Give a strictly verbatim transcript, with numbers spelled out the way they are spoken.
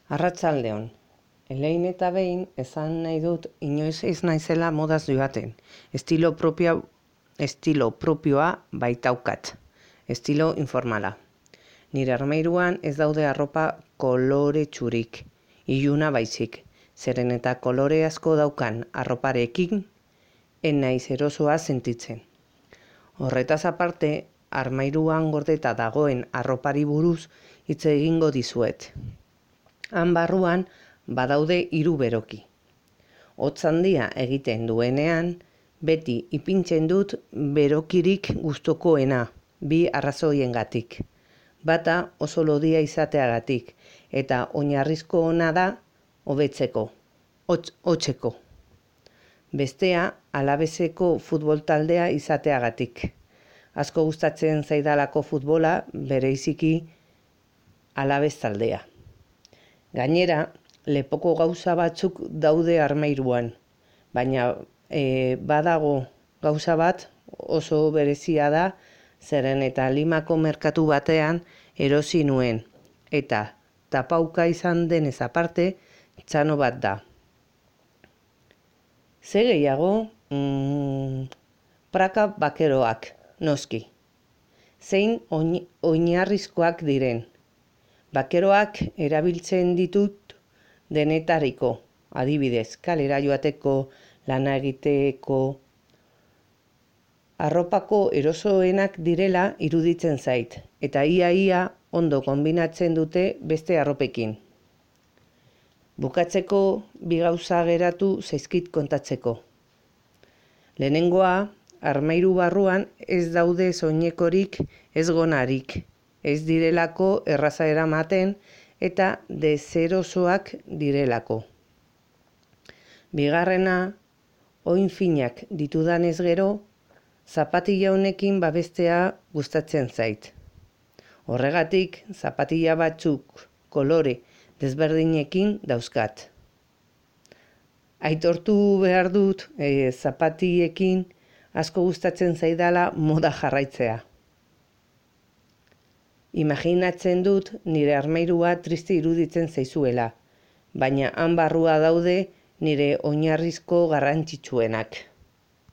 Arratsaldeon. Elein eta behin esan nahi dut inoiz ez naizela modaz joaten. Estilo propio, estilo propioa baitaukat. Estilo informala. Nire armairuan ez daude arropa koloretsurik, iluna baizik. Zeren eta kolore asko daukan arroparekin, en naiz erosoa sentitzen. Horretaz aparte, armairuan gordeta dagoen arropari buruz hitz egingo dizuet. Han barruan badaude hiru beroki. Hotz handia egiten duenean, beti ipintzen dut berokirik gustukoena, bi arrazoiengatik. Bata oso lodia izateagatik, eta oinarrizko ona da hobetzeko, hotz, hotzeko. Bestea, Alabeseko futbol taldea izateagatik. Asko gustatzen zaidalako futbola, bereiziki Alabes taldea. Gainera, lepoko gauza batzuk daude armairuan, baina e, badago gauza bat oso berezia da, zeren eta Limako merkatu batean erosi nuen, eta tapauka izan denez aparte, txano bat da. Ze gehiago, mm, praka bakeroak, noski. Zein oinarrizkoak diren. Bakeroak erabiltzen ditut denetariko, adibidez, kalera joateko, lana egiteko. Arropako erosoenak direla iruditzen zait, eta ia-ia ondo konbinatzen dute beste arropekin. Bukatzeko bi gauza geratu zaizkit kontatzeko. Lehenengoa, armairu barruan ez daude soinekorik ez gonarik. Ez direlako erraza eramaten eta deserosoak direlako. Bigarrena, oin finak ditudanez gero, zapatilla honekin babestea gustatzen zait. Horregatik, zapatilla batzuk kolore desberdinekin dauzkat. Aitortu behar dut, e, zapatillekin asko gustatzen zaidala moda jarraitzea. Imaginatzen dut nire armairua triste iruditzen zaizuela, baina han barrua daude nire oinarrizko garrantzitsuenak.